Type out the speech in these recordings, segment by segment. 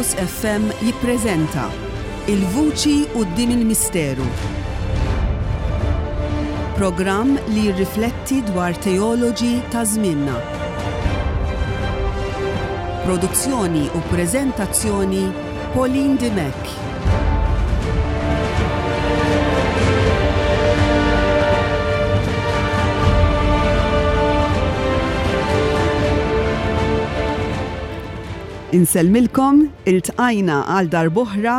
Fokus FM jippreżenta Il-Vuċi Quddiem il-Misteru. Programm li jirrifletti dwar teoloġi ta' żmienna. Produzzjoni u preżentazzjoni Pauline Dimech. Insellmilkom, iltqajna għal darb'oħra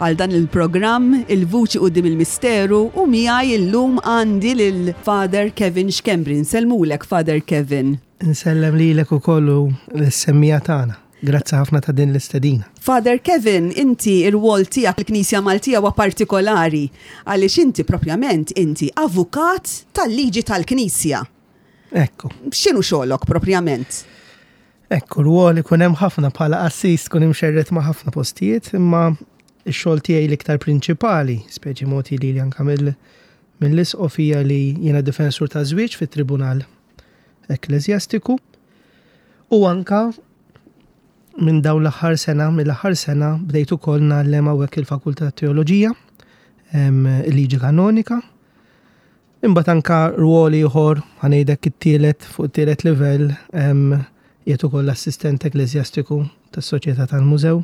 għal dan il-programm Il-Vuċi Quddiem il-Misteru u miegħi illum għandi lil Father Kevin Schembri. Nsellmulek Father Kevin. Insellem lilek ukoll u lis-semmiegħa tagħna. Grazzi ħafna ta' din l-istedina. Father Kevin, inti ir-rwol tiegħek fil-Knisja Maltija huwa partikolari għaliex inti propjament inti avukat tal-liġi tal-Knisja. Ekku. X'inhu xogħlok propjament? Ekku, rwol ikun hemm ħafna bħala qassis tkun imxerred ma' ħafna postijiet, imma x-xogħol tiegħi l-iktar prinċipali, speċi mogħti lili anke mill-isqof hija li jiena difensur ta' żwieġ fit-Tribunal Ekkleżjastiku u anka minn dawn l-aħħar sena, mill-aħħar sena bdejt ukoll ngħallem hawnhekk il-Fakultà tat Teoloġija, il-Liġi Kanonika. Imbagħad anka rwol ieħor, ħa ngħidlek it-tielet fuq it-tielet livell, qiegħed ukoll assistent ekkleżjastiku tas-Soċjetà tal-Mużew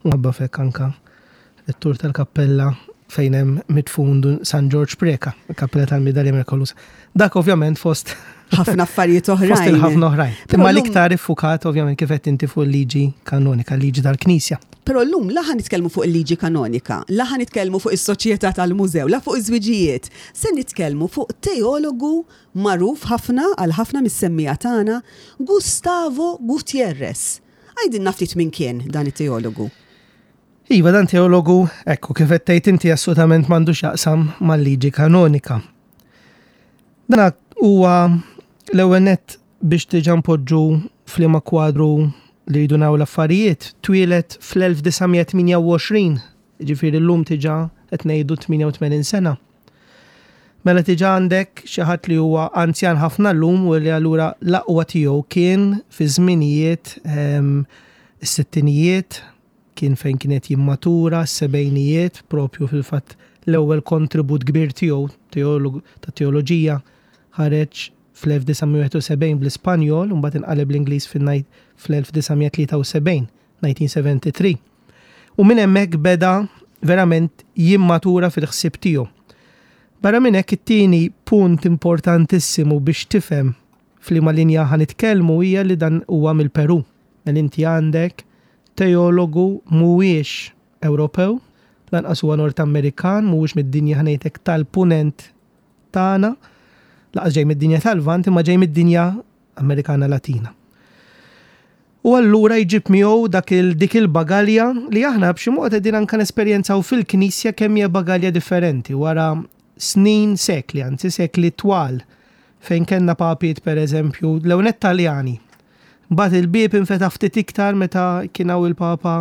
u ħabba f'hekk anka rettur tal-kappella fejn hemm midfun Dun San Ġorġ Preca, il-kappella tal-Midalja Mirkolusa. Dak ovvjament fost ħafna affarijiet oħrajn. Fost il-ħafna oħrajn. Imma l-iktar iffukat ovvjament kif qed inti fuq il-liġi kanonika, l-liġi tal-Knisja. Però llum la ħa nitkellmu fuq il-liġi kanonika, la ħa nitkellmu fuq is-soċjetà tal-mużew, la fuq iż-żwiġijiet. Se nitkellmu fuq teologu magħruf ħafna għal ħafna mis-semmiegħa tagħna, Gustavo Gutierrez. Għidilna ftit min kien dan it-teologu. Iva, dan teologu, ekku, kif qed tgħid inti assolutament m'għandu x'jaqsam mal-liġi kanonika. Dan huwa l-ewwel nett biex diġà npoġġu f'liema kwadru li rridu naraw l-affarijiet, twieled fl-1928, jiġifieri llum diġà qed ngħidu 88 sena. Mela diġà għandek xi ħadd li huwa anzjan ħafna llum u li allura l-aqwa tiegħu kien fi żminijiet ehm, is-sittinijiet, kien fejn kien qed jimmatura, s-sebgħinijiet, propju fil-fatt l-ewwel kontribut kbir tiegħu ta' teoloġija ħareġ fl-1971 bl-Ispanjol u mbagħad inqaleb l-Ingliż fl-1973. 1973. U minn hemmhekk beda verament jimmatura fil-ħsieb tiegħu. Barra minn hekk it-tieni punt importantissimu biex tifhem f'liema linja ħa nitkellmu hija li dan huwa mill-Peru. Mela inti għandek teologu mhuwiex Ewropew, lanqas huwa Nord Amerikan, mhuwiex mid-dinja ħa ngħidlek tal-Punent tagħna, lanqas ġej mid-dinja tal-Lvant, imma ġej mid-dinja Amerikana Latina. U allura jġib miegħu dak il dik il-bagalja li aħna b'xi mod qegħdin anke nesperjenzaw fil-Knisja kemm hija bagalja differenti wara snin, sekli, anzi sekli twal fejn kellna papiet pereżempju l-ewwel nett Taljani. Mbagħad il-bieb infetaħ ftit iktar meta kien hawn il-Papa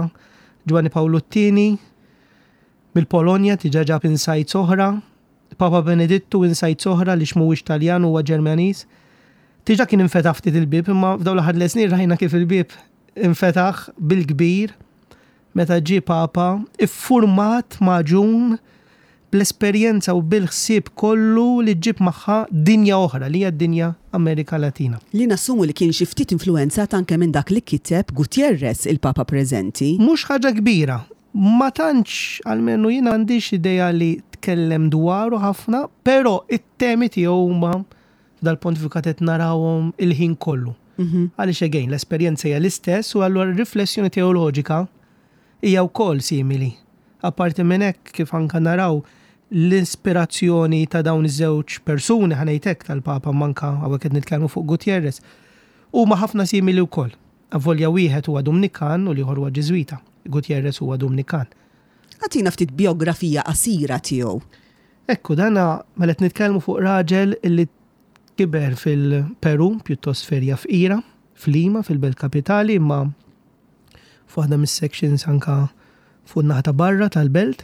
Ġwanni Pawlu t-Tieni mill-Polonja diġà ġab insights oħra. Papa Benedittu insights oħra għaliex mhuwiex Taljan huwa Ġermaniż. Diġà kien infetaħ ftit il-bieb imma f'dawn l-aħħar tliet snin rajna kif il-bieb infetaħ bil-kbir meta ġie Papa iffurmat magħġun bl-esperjenza u bil-ħsieb kollu li ġġib magħha dinja oħra li hija d-dinja Amerika Latina. Li nassumu li kien xi ftit influwenzat anke minn dak li kiteb Gutierrez, il-Papa preżenti. Mhux ħaġa kbira. Ma tantx, almenu jien m'għandix idea li tkellem dwaru ħafna, però it-temi tiegħu huma f'dal-pontifikat qed narawhom il-ħin kollu. Għaliex again, l-esperjenza hija l-istess u allura r-riflessjoni teoloġika hija wkoll simili. Apparti minn hekk, kif anke naraw l-ispirazzjoni ta' dawn iż-żewġ persuni, ħa ngħid hekk, tal-Papa imma anke hawnhekk qed nitkellmu fuq Gutierrez, huma ħafna simili wkoll. Avolja wieħed huwa Dumnikan u l-ieħor huwa Ġiżwita. Gutierrez huwa Dumnikan. Agħtina ftit bijografija qasira tiegħu. Ekku, dan mela qed nitkellmu fuq raġel li kiber fil-Peru, pjuttost f'erja fqira, f'Lima, fil-belt kapitali, imma f'waħda mis-sections anka fuq in-naħa ta' barra tal-belt.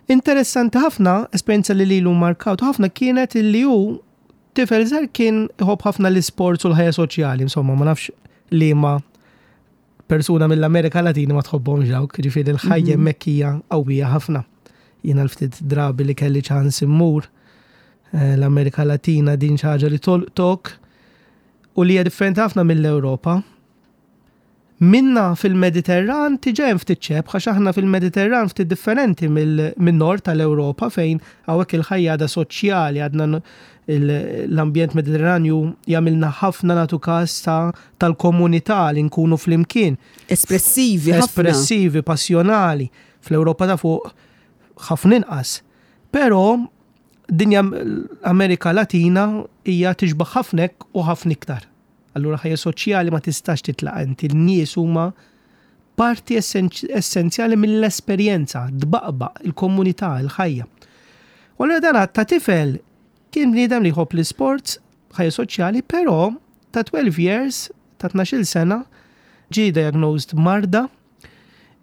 Interessanti ħafna, esperjenza li lilu markawtu ħafna kienet illi hu tifel żgħir kien iħobb ħafna l-isports u l-ħajja soċjali, insomma, ma nafx liema. persuna mill-Amerika Latina ma tħobbhomx dawk, ġifieri l-ħajja hemmhekk hija qawwija ħafna. Jiena l-ftit drabi li kelli ċans immur eh, l-Amerika Latina din xi ħaġa li tolqtok u li hija differenti ħafna mill-Ewropa. Minna fil-Mediterran diġà hemm ftit xebh għax aħna fil-Mediterran ftit differenti min-nord tal-Ewropa fejn hawnhekk il-ħajja għadha soċjali, għadna l-ambjent Mediterranju jagħmilna ħafna nagħtu każ tal-komunità li nkunu flimkien. Espressivi ħafna. Espressivi, passjonali. Fl-Ewropa ta' fuq ħafna inqas. Però dinja Amerika Latina hija tixbaħ ħafna hekk u ħafna iktar. Allura ħajja soċjali ma tistax titlaq inti, l-nies huma parti essenzjali mill-esperjenza, tbaqbaq il-komunità, il-ħajja. U allura dan ta' tifel kien bniedem li jħobb l-isports, ħajja soċjali, però ta' 12 years, ta' 12 sena, ġie diagnosed marda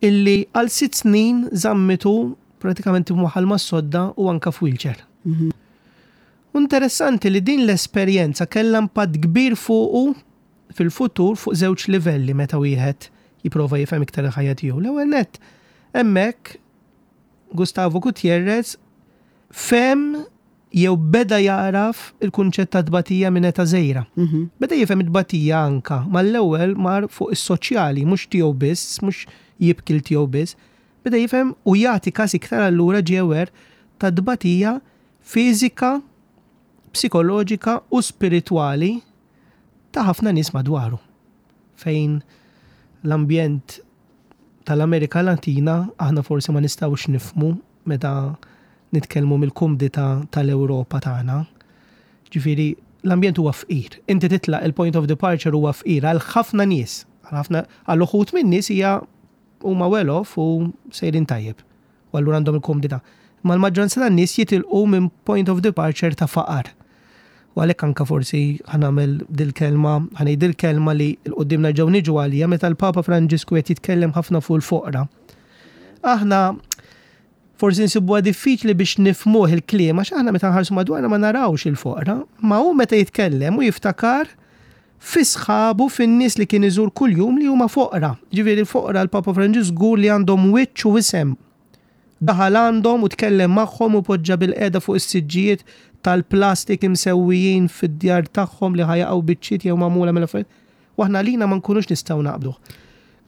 illi għal sitt snin żammitu pratikament imwaħħal mas-sodda u anka f'wheelchair. U interessanti li din l-esperjenza kellha impatt kbir fuqu fil-futur fuq żewġ livelli meta wieħed jipprova jifhem iktar il-ħajja tiegħu. L-ewwel nett, hemmhekk Gustavo Gutierrez fehem jew beda jagħraf il-kunċett ta' tbatija minn età żgħira. Beda jifhem it-tbatija anka mal-ewwel mar fuq is-soċjali, mhux tiegħu biss, mhux jibki 'l tiegħu biss. Beda jifhem u jagħti każ iktar allura ġie aware tat-tbatija fiżika, psikoloġika u spiritwali ta' ħafna nies madwaru. Fejn l-ambjent tal-Amerika Latina aħna forsi ma nistgħux nifhmu meta nitkellmu mill-kumdità tal-Ewropa tagħna. Ġifieri l-ambjent huwa fqir. Inti titlaq il-point of departure huwa fqir għal ħafna nies. Għal ħafna għal uħud min-nies hija huma well off u sejrin tajjeb. U allura għandhom il-kumdità. Imma l-maġġoranza tan-nies jitilqu minn point of departure ta' faqar. U għalhekk anke forsi ħa nagħmel dil-kelma, ħa ngħid dil-kelma li 'l quddiem nerġgħu niġu għaliha meta l-Papa Franġisku qed jitkellem ħafna fuq il-foqra. Aħna forsi nsibuha diffiċli biex nifhmuh il-kliem għax aħna meta nħarsu madwarna ma narawx il-foqra, ma hu meta jitkellem u jiftakar fi sħabu fin-nies li kien iżur kuljum li huma foqra. Ġifieri l-foqra l-Papa Franġisku żgur li għandhom wiċċ u isem. Daħal għandhom u tkellem magħhom u poġġa bilqiegħda fuq is-siġġijiet tal-plastik imsewwijin fid-djar tagħhom li ħa jaqgħu biċċiet jew magħmula mill-affarijiet. U aħna għalina ma nkunux nistgħu naqbduh.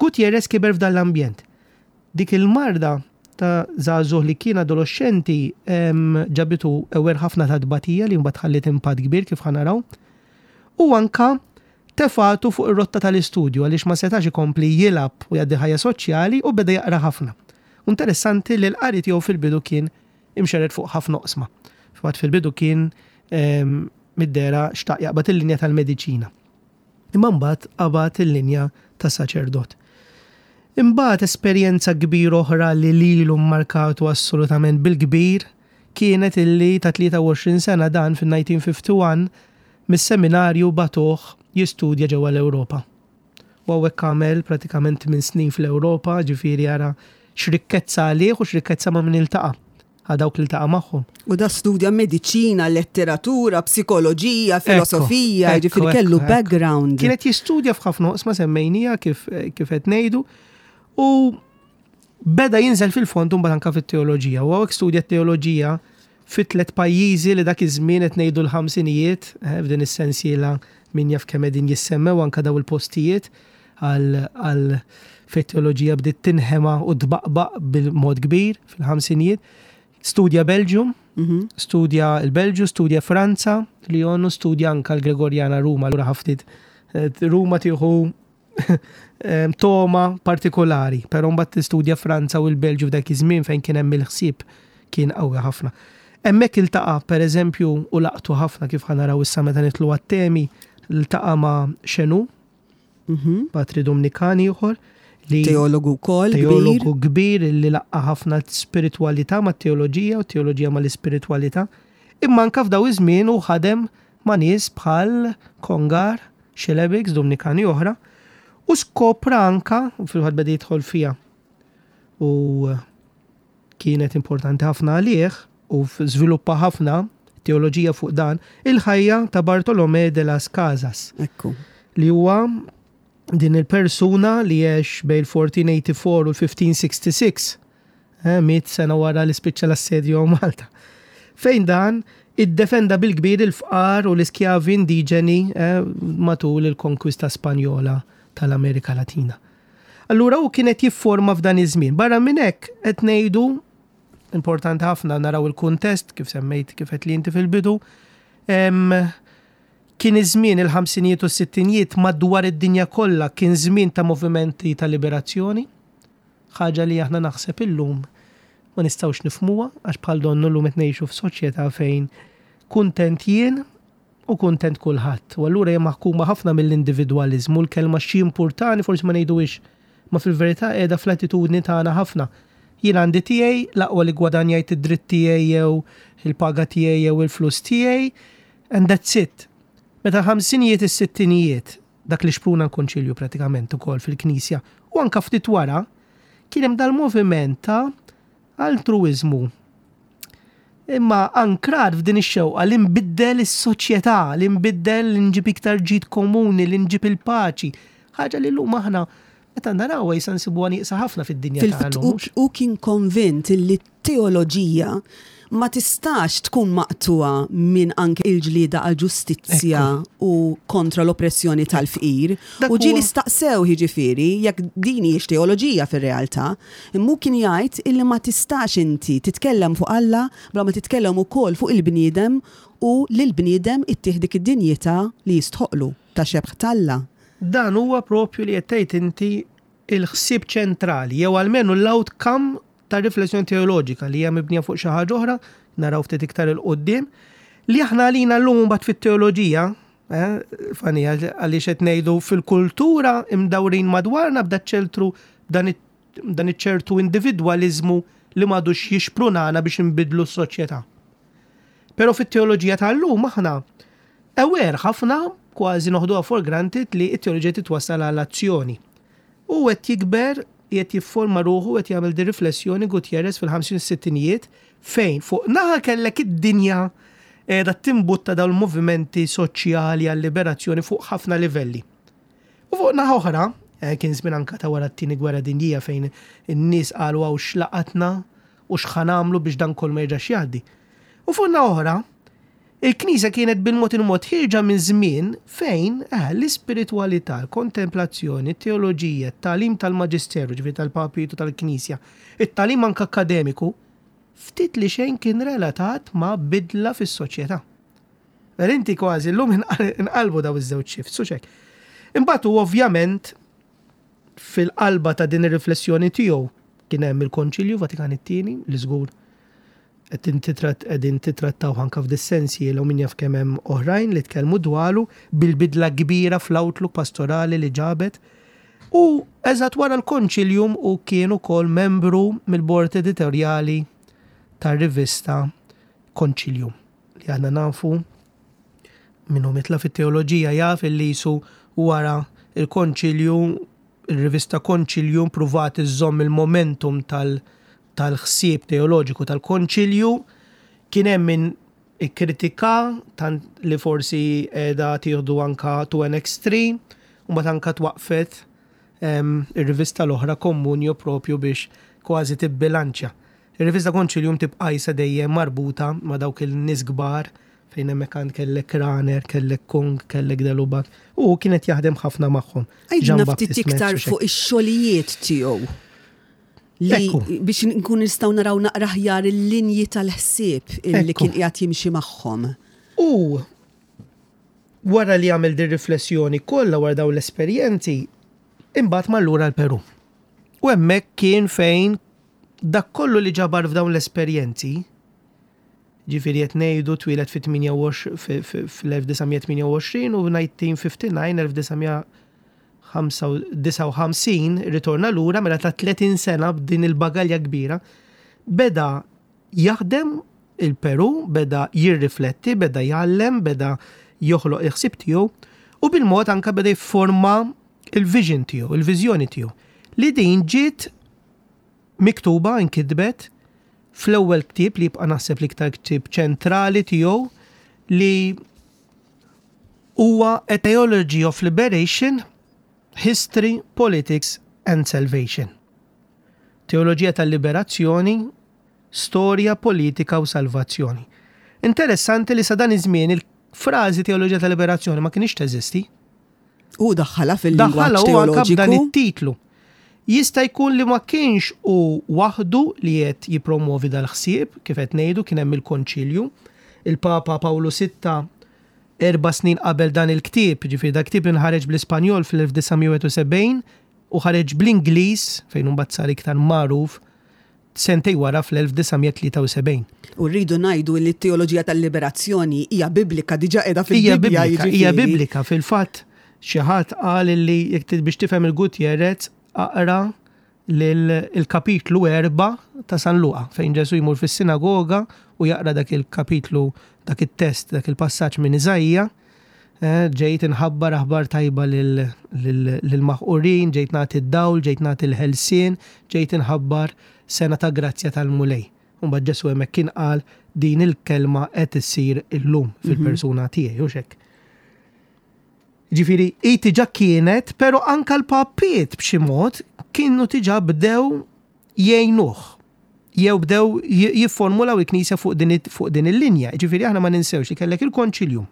Gutierrez kiber f'dan l-ambjent. Dik il-marda ta' żagħżugħ li kien adoloxxenti ġabitu aware ħafna ta' tbatija li mbagħad ħalliet impatt kbir kif ħa naraw. U anka tefgħatu fuq ir-rotta tal-istudju għaliex ma setax ikompli jilgħab u jgħaddi ħajja soċjali u beda jaqra ħafna. U interessanti li l-qari tiegħu fil-bidu kien imxerred fuq ħafna oqsma. Fil-fatt fil-bidu kien mid-dehra xtaq jaqbad il-linja tal-mediċina. Imma mbagħad qabad il-linja ta' saċerdot. Imbagħad esperjenza kbira oħra li lilu mmarkatu assolutament bil-kbir kienet illi ta' 23 sena dan fin-1951 mis-seminarju bagħtuh jistudja ġewwa l-Ewropa. U hawnhekk għamel pratikament tminn snin fl-Ewropa, ġifieri ara x'rikkezza għalih u x'rikkezza ma' min iltaqa', għal dawk li ltaqa' magħhom. U da studja mediċina, letteratura, psikoloġija, filosofija, ġifieri kellu background. Kien qed jistudja f'ħafna oqsma semmejnija kif kif qed ngħidu u beda jinżel fil-fond imbagħad anke fit-teoloġija. U hawnhekk studja t-teoloġija fi tlet pajjiżi li dak iż-żmien qed ngħidu l-ħamsinijiet, eh, f'din is-sensiela min jaf kemm qegħdin jissemmew anke daw il-postijiet għal għal fejn teoloġija bdiet tinħema u tbaqbaq bil-mod kbir fil-ħamsinijiet. Studja Belġium, mhm. studja l-Belġju, studja Franza, Lyon u studja anka l-Gregorjana Ruma, allura ħaftit eh, Ruma tieħu toma partikolari, però mbagħad tistudja Franza u l-Belġju f'dak iż-żmien fejn kien hemm il-ħsieb kien qawwi ħafna. Hemmhekk iltaqa' pereżempju u laqtu ħafna kif ħa naraw issa meta nidħlu għat-temi, ltaqa' ma' Chenu, mhm. patri Dominikan ieħor, li teologu wkoll teologu kbir li laqqa ħafna spiritwalità mat-teoloġija u teoloġija mal-ispiritwalità. Imma anka f'daw iż-żmien u ħadem ma' nies bħal Kongar, Xelebiks, Dumnikani oħra, u skopra anka, u fil-fatt beda jidħol fiha u kienet importanti ħafna għalih u żviluppa ħafna teoloġija fuq dan, il-ħajja ta' Bartolomé de las Casas. Ekku. Li huwa Din il-persuna li għex bejn il-1484 u l-1566, miet sena wara li spiċċa l-assedju hawn Malta. Fejn dan iddefenda bil-kbir il-fqar u l-iskjavi indiġeni matul il-konkwista Spanjola tal-Amerika Latina. Allura hu kien qed jifforma f'dan iż-żmien. Barra minn hekk qed ngħidu importanti ħafna naraw il-kuntest kif semmejt kif qed li inti fil-bidu. Kien iż-żmien il-ħamsinijiet u s-sittinijiet madwar id-dinja kollha kien żmien ta' movimenti ta' liberazzjoni, ħaġa li aħna naħseb illum ma nistgħux nifhmuha għax bħal donnu llum qed ngħixu f'soċjetà fejn kuntent jien u kuntent kulħadd. U allura hija maħkuma ħafna mill-individwaliżmu, l-kelma x'jimpurtani forsi ma ngħiduhiex, imma fil-verità qiegħda fl-attitudni tagħna ħafna. Jien għandi tiegħi, l-aqwa li ggwadanjajt id-dritt tiegħi jew il-paga tiegħi jew il-flus tiegħi, And that's it. Meta l-ħamsinijiet is-sittinijiet, dak li xpruna l-Konċilju pratikament ukoll fil-Knisja, u anka ftit wara, kien hemm dal-moviment ta' altruiżmu. Imma ankrat f'din ix-xewqa li nbiddel is-soċjetà, li nbiddel li nġib iktar ġid komuni, li nġib il-paċi. Ħaġa li llum aħna meta narawha jisa nsibuha nieqsa ħafna fid-dinja tagħna. Hu kien konvint li teoloġija ma tistax tkun maqtugħa minn anke il-ġlieda għall-ġustizzja u kontra l-oppressjoni tal-fqir. U ġieli staqsew jiġifieri jekk din hijiex teoloġija fir-realtà. Imma hu kien jgħid illi ma tistax inti titkellem fuq Alla bla ma titkellem ukoll fuq il-bniedem u lill-bniedem ittih dik id-dinjità li jistħoqqlu ta' xebh t'Alla. Dan huwa propju li qed tgħid inti il-ħsieb ċentrali jew almenu l-outcome ta' riflessjoni teoloġika li hija mibnija fuq xi ħaġa oħra, naraw ftit iktar 'il quddiem, li aħna għalina llum imbagħad fit-teoloġija, eh, fani għaliex qed ngħidu fil-kultura imdawrin madwarna b'da ċeltru dan iċ-ċertu individwaliżmu li m'għadux jixprunana biex inbidlu s-soċjetà. Però fit-teoloġija tal-lum aħna aware ħafna kważi noħduha for granted li t-teoloġija titwassal għal azzjoni. Hu qed jikber, qiegħed jifforma ruħu, qed jagħmel dir-riflessjoni Gutierrez fil-ħamsin u s-sittinijiet fejn fuq naħa kellek id-dinja qiegħda timbutta dawn il-movimenti soċjali għal-liberazzjoni fuq ħafna livelli. U fuq naħa oħra, eh, kien żmien anka ta' wara t-tieni gwerra dinjija fejn in-nies qalu hawn x'laqatna u x'ħa nagħmlu biex dan kollu ma jerġax jgħaddi. U fuq naħa oħra, Il-Knisja kienet bil-mod il-mod ħierġa minn żmien fejn, eh, l-ispiritwalità, l-kontemplazzjoni, it-teoloġija, it-tagħlim tal-Maġisteru, ġifieri tal-Papiet u tal-Knisja, it-tagħlim anke akkademiku, ftit li xejn kien relatat ma' bidla fis-soċjetà. Mela inti kważi llum inqalbu daw iż-żewġ shifts, hux hekk. Imbagħad hu ovvjament fil-qalba ta' din ir-riflessjoni tiegħu kien hemm il-Konċilju Vatikan it-Tieni li żgur qegħdin tittrattawh anke f'dis-sensiela u min jaf kemm hemm oħrajn li tkellmu dwaru bil-bidla kbira fl-outlook pastorali li ġabet. U eżatt wara l-Konċilium hu kien ukoll membru mill-bord editorjali tar-rivista Konċilium li aħna nafu min hu mitla fit-teoloġija jaf illi jisu wara il-Konċilju il-rivista Konċilium pruvat iżżomm il-momentum tal- tal-ħsieb teoloġiku tal-Konċilju, kien hemm min ikkritika tant li forsi qiegħda tieħdu anka to an extreme, u mbagħad anka twaqqfet ir-rivista l-oħra Communio propju biex kważi tibbilanċja. Ir-rivista Concilium tibqa' qisha dejjem marbuta ma' dawk il-nies kbar fejn hemmhekk għand kellek Rahner, kellek Kung, kellek de Lubac, u hu kien qed jaħdem ħafna magħhom. Għidilna ftit iktar fuq ix-xogħlijiet tiegħu. Li biex nkun nistgħu naraw naqra aħjar il-linji tal-ħsieb li kien qiegħed jimxi magħhom. U wara li għamel din riflessjoni kollha wara dawn l-esperjenzi, imbagħad mar lura l-Peru. U hemmhekk kien fejn dak kollu li ġabar f'dawn l-esperjenzi, ġifieri qed ngħidu twieled fl-1928 u 1959, 59 irritorna lura mela ta' 30 sena b'din il-bagalja kbira, beda jaħdem il-Peru, beda jirrifletti, beda jgħallem, beda joħloq il-ħsieb tiegħu u bil-mod anka beda jifforma il-vision tiegħu, il-viżjoni tiegħu. Li din ġiet miktuba, inkitbet fl-ewwel ktieb li jibqa' naħseb l-iktar ktieb ċentrali tiegħu li huwa A Theology of Liberation. History, Politics and Salvation. Teoloġija tal-Liberazzjoni, Storja, Politika u Salvazzjoni. Interessanti li sa dan iż-żmien il-frażi Teoloġija tal-Liberazzjoni ma kinitx teżisti. U daħħalha fil-lingwaġġ teoloġiku. Dan it-titlu. Jista' jkun li ma kienx hu waħdu li qed jippromwovi dal-ħsieb, kif qed ngħidu kien hemm il-Konċilju. Il-Papa Pawlu Sitta erba' snin qabel dan il-ktieb, jiġifieri dal-ktieb inħareġ bl-Ispanjol fl-1971 u ħareġ bl-Ingliż, fejn imbagħad sar iktar magħruf, sentejn wara fl-1973. U rridu ngħidu li t-teoloġija tal-liberazzjoni hija biblika, diġà qiegħda fil-Bibbja. Hija biblika, hija biblika. Fil-fatt xi ħadd qal li jekk biex tifhem il-Gutierrez aqra l-kapitlu 4 ta' San Luqa fejn Ġesù jmur fis-sinagoga u jaqra dak il-kapitlu, dak it-test, dak il-passaġġ minn Iżaija. Ġejt inħabbar aħbar tajba lill-maħqurin, ġejt nagħti d-dawl, ġejt nagħti l-ħelsien, ġejt inħabbar sena ta' grazzja tal-Mulej. U mbagħad Ġesù hemmhekk kien qal din il-kelma qed issir illum fil-persuna tiegħi, hux hekk? Ġifieri, hi diġà kienet, però anke l-papiet b'xi mod kienu diġà bdew jgħinuh jew bdew jifformulaw il-Knisja fuq din fuq din il-linja. Ġifieri aħna ma ninsewx li kellek il-Konċilju.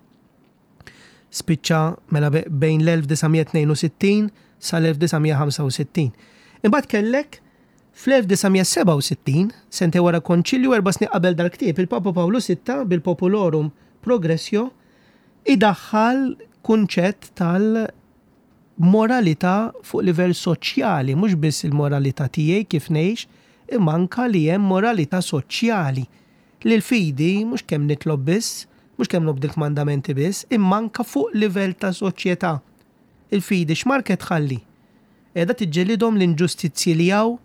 Spiċċa mela bejn l-1962 sal-1965. Imbagħad kellek fl-1967, sentejn wara Konċilju erba' snin qabel dal-ktieb, il-Papa Pawlu Sitta bil-Populorum Progressio idaħħal kunċett tal- moralità fuq livell soċjali, mhux biss il-moralità tiegħi kif ngħix, imma anke li hemm moralità soċjali. Li l-fidi mhux kemm nitlob biss, mhux kemm nobdi l-kmandamenti biss, imma anke fuq livell ta' soċjetà. Il-fidi x'marka qed tħalli? Qiegħda tiġġelidhom l-inġustizzji li hawn?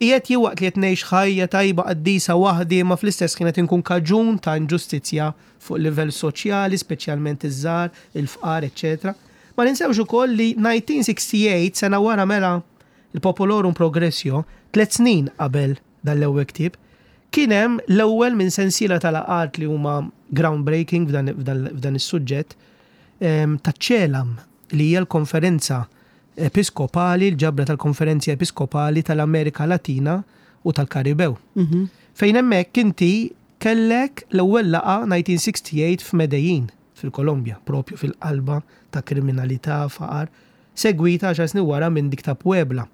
Qiegħed jien waqt li qed ngħix ħajja tajba qaddisa waħdi imma fl-istess ħin qed inkun kaġun ta' inġustizzja fuq livell soċjali, speċjalment iż-żgħar, il-fqar, eċċetera. Ma ninsewx ukoll li 1968, sena wara mela l-Populorum Progressio, tlett snin qabel dan l-ewwel ktieb, kien hemm l-ewwel minn sensiela ta' laqgħat li huma groundbreaking f'dan is-suġġett taċ-CELAM, li hija l-Konferenza Episkopali, l-ġabra tal-Konferenzi Episkopali tal-Amerika Latina u tal-Karibew. Fejn hemmhekk inti kellek l-ewwel laqgħa 1968 f'Medellin, fil-Kolombja, propju fil-qalba ta' kriminalità, faqar, segwita għaxar snin wara minn dik ta' Puebla.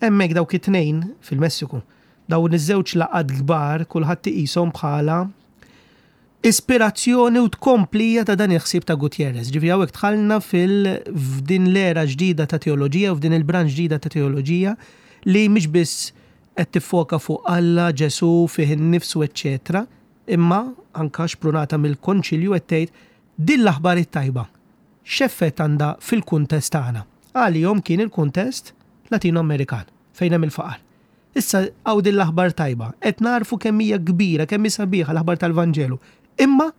Hemmhekk dawk it-tnejn fil-Messiku, dawn iż-żewġ laqgħat kbar kulħadd iqishom bħala ispirazzjoni u tkomplija ta' dan il-ħsieb ta' Gutierrez. Ġifieri hawnhekk dħalna fil f'din l-era ġdida ta' teoloġija u f'din il-branch ġdida ta' teoloġija li mhix biss qed tiffoka fuq Alla, Ġesù, fih innifsu, eċċetera, imma anke xprunata mill-Konċilju qed tgħid din l-aħbar it-tajba x'effett għandha fil-kuntest tagħna. Għalihom kien il-kuntest Latino-Amerikan fejn hemm il-faqar. Issa hawn din l-aħbar tajba. Qed nagħrfu kemm hija kbira, kemm hi sabiħa l-aħbar tal-Vanġelu. Imma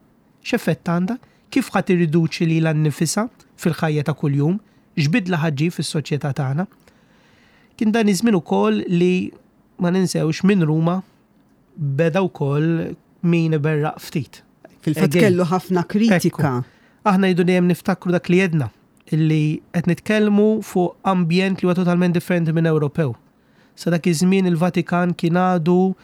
x'effett għandha? Kif ħa tirriduċi lilha nnifisha fil-ħajja ta' kuljum? X'bidla ħa ġġib fis-soċjetà tagħna? Kien dan iż-żmien ukoll li ma ninsewx minn Ruma beda wkoll min iberraq ftit. Fil-fatt kellu ħafna kritika. Aħna jridu dejjem niftakru dak li għedna, illi qed nitkellmu fuq ambjent li huwa totalment differenti minn Ewropew. Sa dak iż-żmien il-Vatikan kien għadu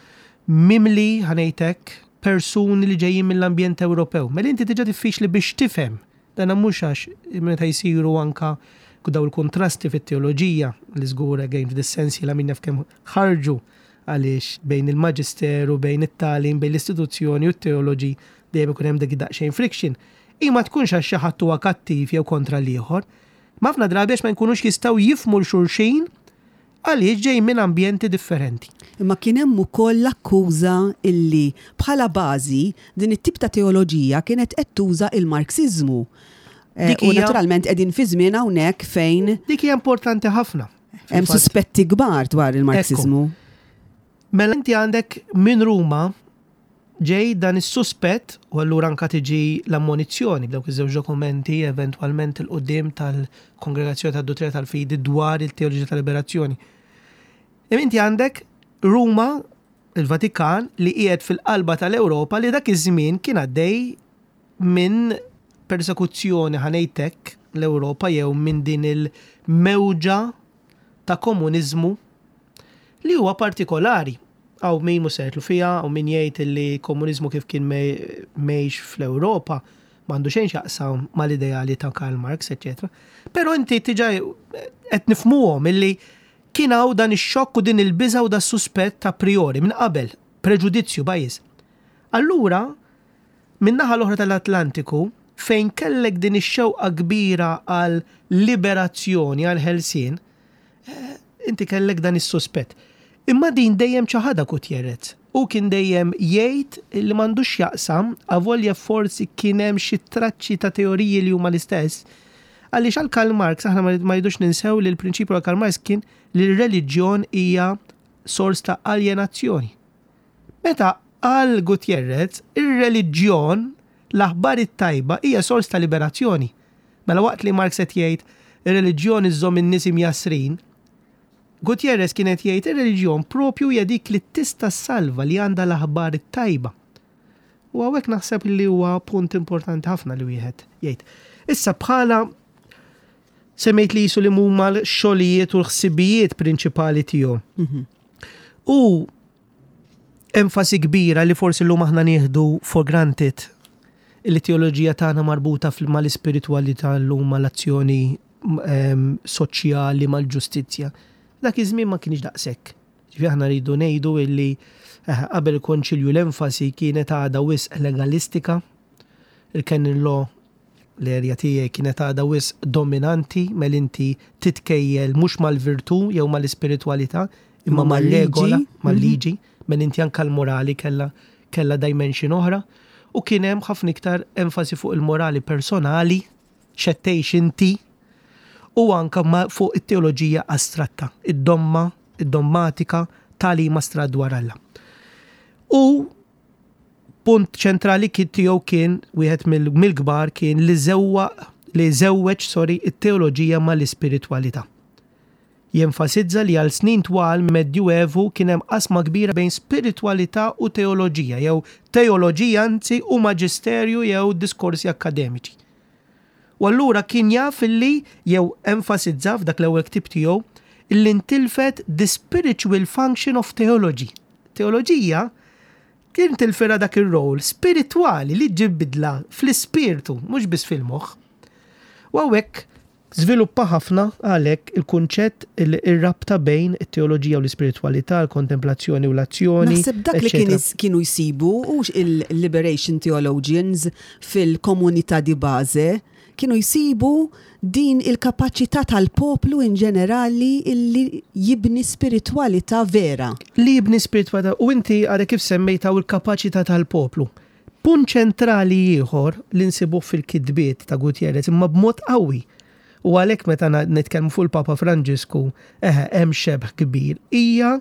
mimli, ħa ngħid hekk, persuni li ġejjin mill-ambjent Ewropew. Mela inti diġà diffiċli biex tifhem. Dan mhux għax meta jsiru anka dawn il-kuntrasti fit-teoloġija, li żgur again f'dis-sens jiena min jaf kemm ħarġu għaliex bejn il-maġisteru, bejn it-tagħlim, bejn l-istituzzjoni u t-teoloġi dejjem ikun hemm dik daqsxejn friction. Hi ma tkunx għax xi ħadd huwa kattiv jew kontra l-ieħor. Imma ħafna drabi għax ma jkunux jistgħu jifhmu 'l xulxin għaliex ġejjin minn ambjenti differenti. Imma kien hemm ukoll l-akkuża illi bħala bażi din it-tip ta' teoloġija kienet qed tuża il-Marxiżmu. U naturalment qegħdin fi żmien hawnhekk fejn. Dik hija importanti ħafna. Hemm suspetti kbar dwar il-Marxiżmu. Mela inti għandek minn Ruma ġej dan is-suspett u allura anka tiġi l-ammonizzjoni b'dawk iż-żewġ dokumenti eventwalment 'il quddiem tal-Kongregazzjoni tad-Duttrina tal-Fidi dwar il-Teoloġija tal-Liberazzjoni. Imma inti għandek Ruma, il-Vatikan, li qiegħed fil-qalba tal-Ewropa li dak iż-żmien kien għaddej minn persekuzzjoni ħa ngħid hekk. l-Ewropa jew minn din il-mewġa ta' komuniżmu li huwa partikolari. Hawn min mhux se jidħlu fiha, hawn min jgħid li komuniżmu kif kien mgħix fl-Ewropa m'għandu xejn x'jaqsam mal-ideali ta' Karl Marx, eċċetera. Però inti diġà qed nifhmuhom illi kien hawn dan ix-xokk u din il-biża' u das-suspett a priori minn qabel, preġudizzju, bias. Allura, min-naħa l-oħra tal-Atlantiku, fejn kellek din ix-xewqa kbira għal liberazzjoni, għal ħelsien, eh, inti kellek dan is-suspett. Imma din dejjem ċaħadha Gutierrez. Hu kien dejjem jgħid li m'għandux x'jaqsam, avolja forsi kien hemm xi traċċi ta' teoriji li huma l-istess, għaliex għal Karl Marx aħna ma rridux ninsew li l-prinċipju għal Karl Marx kien li r-reliġjon hija sors ta' aljenazzjoni. Meta għal Gutierrez, ir-reliġjon, l-aħbar it-tajba hija sors ta' liberazzjoni. Mela waqt li Marx qed jgħid ir-reliġjon iżżomm in-nies imjassrin, Gutierrez kien qed jgħid ir-reliġjon propju hija dik li tista' ssalva li għandha l-aħbar it-tajba. U hawnhekk naħseb li huwa punt importanti ħafna li wieħed jgħid. Issa bħala semmejt li jisu li huma l-xogħlijiet u l-ħsibijiet prinċipali tiegħu. Mhm. U enfasi kbira li forsi llum aħna nieħdu for granted li teoloġija tagħna marbuta mal-ispiritwalità llum mal-azzjoni ehm, soċjali mal-ġustizzja. Dak iż-żmien ma kienx daqshekk. Ġifieri aħna rridu ngħidu illi eh, qabel il-konċilju l-enfasi kienet għadha wisq legalistika, il-canon law L-erja tiegħi kienet għadha wisq dominanti, mela inti titkejjel mhux mal-virtù jew mal-ispiritwalità, imma mar-regola, mal-liġi, mela inti anke l-morali kellha kellha dimension oħra, u kien hemm ħafna iktar enfasi fuq il-morali personali, x'qed tgħix inti, u anke fuq it-teoloġija astratta, id-domma, id-dommatika, tagħlim astratt dwar Alla. U Punt ċentrali kien tiegħu kien wieħed mill-kbar kien li żewwaq li żewweġ sorry it-teoloġija mal-ispiritwalità. Jenfasizza li għal snin twal Medjuevu kien hemm qasma kbira bejn spiritwalità u teoloġija jew teoloġija anzi u maġisterju jew diskorsi akkademiċi. U allura kien jaf illi jew enfasizza f'dak l-ewwel ktieb tiegħu illi ntilfet the spiritual function of theology. Teoloġija kien tilfilha dak ir-role spiritwali li ġġib bidla fl-ispirtu, mhux biss fil-moħħ. U hawnhekk żviluppa ħafna għalhekk il-kunċett ir-rabta bejn it-teoloġija u l-ispiritwalità, il-kontemplazzjoni u l-azzjoni. Naħseb dak li kienu jsibu hux il-liberation theologians fil-komunità di base kienu jsibu din il-kapaċità tal-poplu in ġenerali illi jibni spiritwalità vera. Li jibni spiritwalità, u inti għadek kif semmejt hawn il-kapaċità tal-poplu. Punt ċentrali ieħor li nsibuh fil-kitbiet ta' Gutierrez imma b'mod qawwi, u għalhekk meta nitkellmu fuq il-Papa Franġisku, eħe, hemm xebh kbir, hija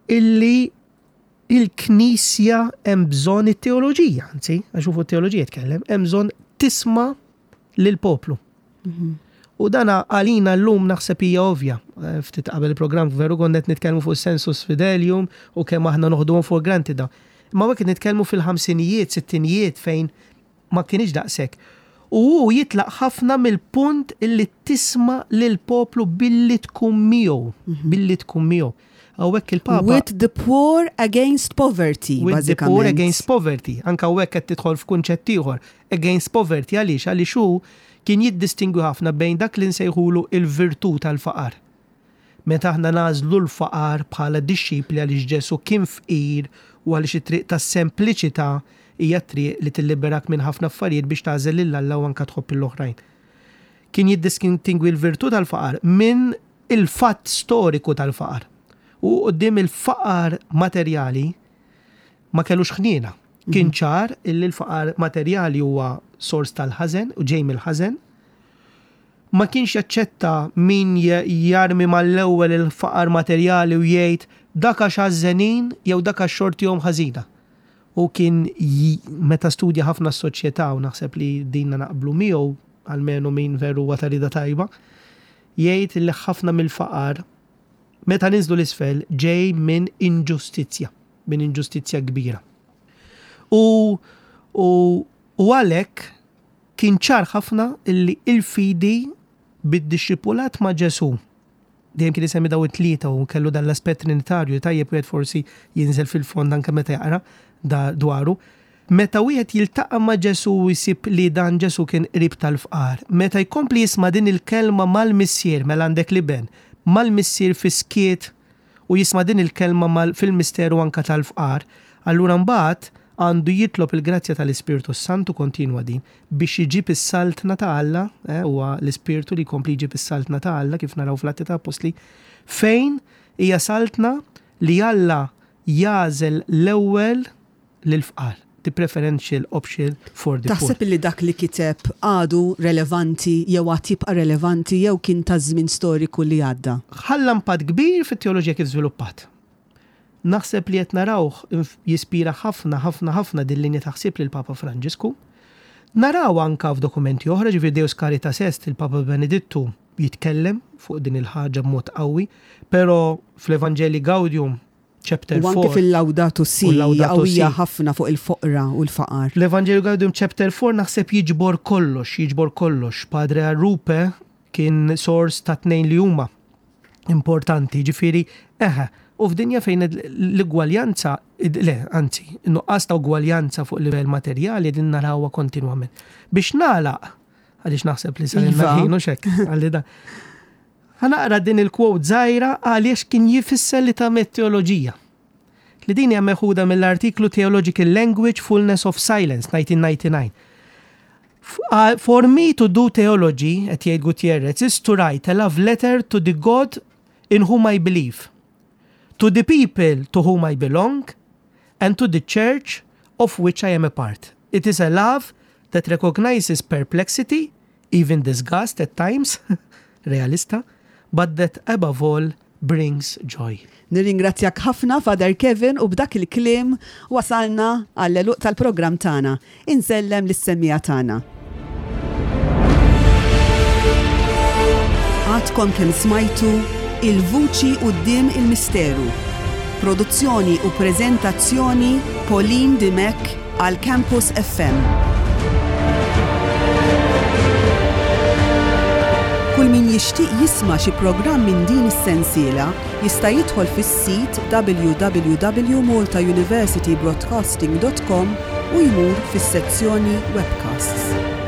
illi Il-Knisja hemm bżonn it-teoloġija, anzi, għax hu fuq it-teoloġija jitkellem, hemm bżonn tisma' lill-poplu. Mhm. U dana għalina llum naħseb hija ovvja. Eh, ftit qabel il-programm veru konna qed nitkellmu fuq sensus fidelium u kemm aħna noħduhom for granted da. Imma hekk nitkellmu fil-ħamsinijiet, sittinijiet fejn ma kinitx daqshekk. U hu jitlaq ħafna mill-punt illi tisma' lill-poplu billi tkun miegħu, mhm. billi tkun miegħu. Hawnhekk il-Papa. With the poor against poverty. With the poor against poverty. Anka hawnhekk qed tidħol f'kunċett ieħor. Against poverty għaliex għaliex hu kien jiddistingwi ħafna bejn dak li nsejħulu il-virtù tal-faqar. Meta aħna nagħżlu l-faqar bħala dixxipli għaliex Ġesù kien fqir u għaliex it-triq tas-sempliċità hija t-triq li tilliberak minn ħafna affarijiet biex tagħżel lil Alla u anke tħobb lill-oħrajn. Kien jiddistingwi l-virtù tal-faqar minn il-fatt storiku tal-faqar. U quddiem il-faqar materjali ma kellux ħniena. Kien ċar illi l-faqar materjali huwa sors tal-ħażen u ġej mill-ħażen. Ma kienx jaċċetta min jarmi mal-ewwel il-faqar materjali u jgħid dak għax għażżenin jew dak għax xortihom ħażina. Hu kien meta studja ħafna s-soċjetà u naħseb li dinna naqblu miegħu, almenu min veru huwa ta' rieda tajba, jgħid li ħafna mill-faqar meta ninżlu 'l isfel ġej minn inġustizzja, minn inġustizzja kbira. U u u għalhekk. Kien ċar ħafna illi il-fidi bid-dixxipulat ma' Ġesù, dejjem kien isemmi daw it-tlieta u kellu dan l-aspett trinitarju li tajjeb wieħed forsi jinżel fil-fond anke meta jaqra dwaru. Meta wieħed jiltaqa' ma' Ġesù u jsib li dan Ġesù kien qrib tal-fqar, meta jkompli jisma' din il-kelma mal-Missier, mela għandek l-Iben, mal-Missier fis-skiet u jisma' din il-kelma mal fil-misteru anke tal-fqar, allura mbagħad għandu jitlob il-grazzja tal-Ispirtu s-Santu, kontinwa din, biex iġib is-Saltna ta' Alla, eh, huwa l-Ispirtu li jkompli jġib is-Saltna ta' Alla kif naraw fl-Atti ta' Appostli, fejn hija saltna li Alla jagħżel l-ewwel lill-fqar, the preferential option for the poor. Taħseb illi dak li kiteb għadu relevanti jew għad jibqa' relevanti jew kien taż-żmien storiku li għadda? Ħalla impatt kbir fit-teoloġija kif żviluppat. Naħseb li qed narawh jispira ħafna, ħafna, ħafna din linja ta' ħsieb lill-Papa Franġisku. Naraw anka f'dokumenti oħra, ġifieri Deus Caritas Est, il-Papa Benedittu jitkellem fuq din il-ħaġa b'mod qawwi, però fl-Evangelii Gaudium chapter 4. U anke fil-Laudato Si, qawwija ħafna fuq il-foqra u l-faqar. L-Evangelii Gaudium chapter 4 naħseb jiġbor kollox, jiġbor kollox. Padre Arrupe kien sors ta' tnejn li huma importanti, ġifieri, eħe, u f'dinja fejn l-igwaljanza, le, anzi, nuqqas ta' ugwaljanza fuq livell materjali din narawha kontinwament. Biex nagħlaq, għaliex naħseb li sar iva. ħin u xek, għalli da. Ħa naqra din il-quote żgħira għaliex kien jifisser li tagħmel teoloġija. Li din hija meħuda mill-artiklu Theological Language, Fullness of Silence, 1999. For me to do theology, qed jgħid Gutierrez, is to write a love letter to the God in whom I believe, to the people to whom I belong, and to the church of which I am a part. It is a love that recognizes perplexity, even disgust at times, realista, but that above all brings joy. Nirringrazzjak ħafna Father Kevin u b'dak il-kliem wasalna għall-għeluq tal-programm tagħna. Insellem lis-semmiegħa tagħna. Għadkom kemm smajtu Il-Vuċi Quddiem il-Misteru. Produzzjoni u preżentazzjoni Pauline Dimech għal Campus FM. Kull min jixtieq jisma' xi programm minn din is-sensiela jista' jidħol fis-sit www.maltauniversitybroadcasting.com u jmur fis-sezzjoni Webcasts.